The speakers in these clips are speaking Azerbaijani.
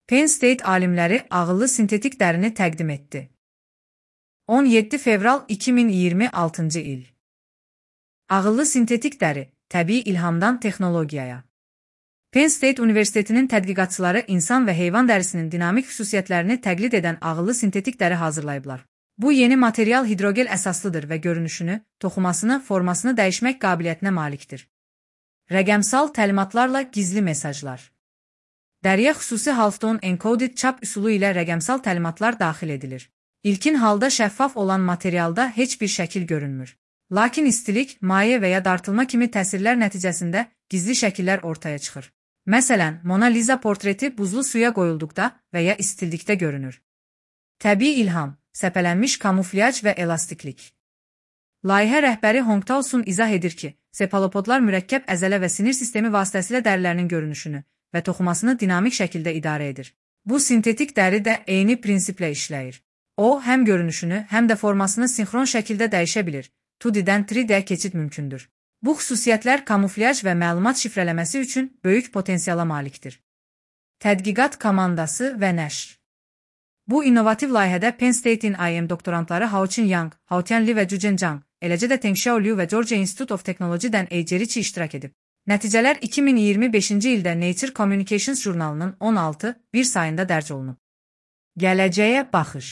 Penn State alimləri ağıllı sintetik dərini təqdim etdi. 17 fevral 2026-cı il. Ağıllı sintetik dəri, təbii ilhamdan texnologiyaya. Penn State Universitetinin tədqiqatçıları insan və heyvan dərisinin dinamik xüsusiyyətlərini təqlid edən ağıllı sintetik dəri hazırlayıblar. Bu yeni material hidrogel əsaslıdır və görünüşünü, toxumasını, formasını dəyişmək qabiliyyətinə malikdir. Rəqəmsal təlimatlarla gizli mesajlar. Dəriyə xüsusi half-tone encoded çap üsulu ilə rəqəmsal təlimatlar daxil edilir. İlkin halda şəffaf olan materialda heç bir şəkil görünmür. Lakin istilik, maye və ya dartılma kimi təsirlər nəticəsində gizli şəkillər ortaya çıxır. Məsələn, Mona Lisa portreti buzlu suya qoyulduqda və ya istildikdə görünür. Təbii ilham, səpələnmiş kamuflyaj və elastiklik. Layihə rəhbəri Hong Tao-sun izah edir ki, sepalopodlar mürəkkəb əzələ və sinir sistemi vasitəsilə dərilərinin görünüşünü və toxumasını dinamik şəkildə idarə edir. Bu sintetik dəri də eyni prinsiplə işləyir. O, həm görünüşünü, həm də formasını sinxron şəkildə dəyişə bilir. 2D-dən 3D-yə keçid mümkündür. Bu xüsusiyyətlər kamuflyaj və məlumat şifrələməsi üçün böyük potensiala malikdir. Tədqiqat komandası və nəşr. Bu innovativ layihədə Penn State-in IM doktorantları Haoqin Yang, Haotian Li və Zhuzhen Zhang, eləcə də Tengxiao Liu və Georgia Institute of Technology-dən Eijerichi iştirak edib. Nəticələr 2025-ci ildə Nature Communications jurnalının 16.1 sayında dərc olunub. Gələcəyə baxış.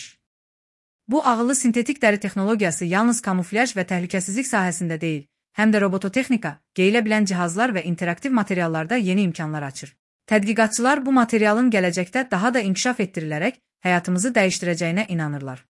Bu ağıllı sintetik dəri texnologiyası yalnız kamuflyaj və təhlükəsizlik sahəsində deyil, həm də robototexnika, geyilə bilən cihazlar və interaktiv materiallarda yeni imkanlar açır. Tədqiqatçılar bu materialın gələcəkdə daha da inkişaf etdirilərək həyatımızı dəyişdirəcəyinə inanırlar.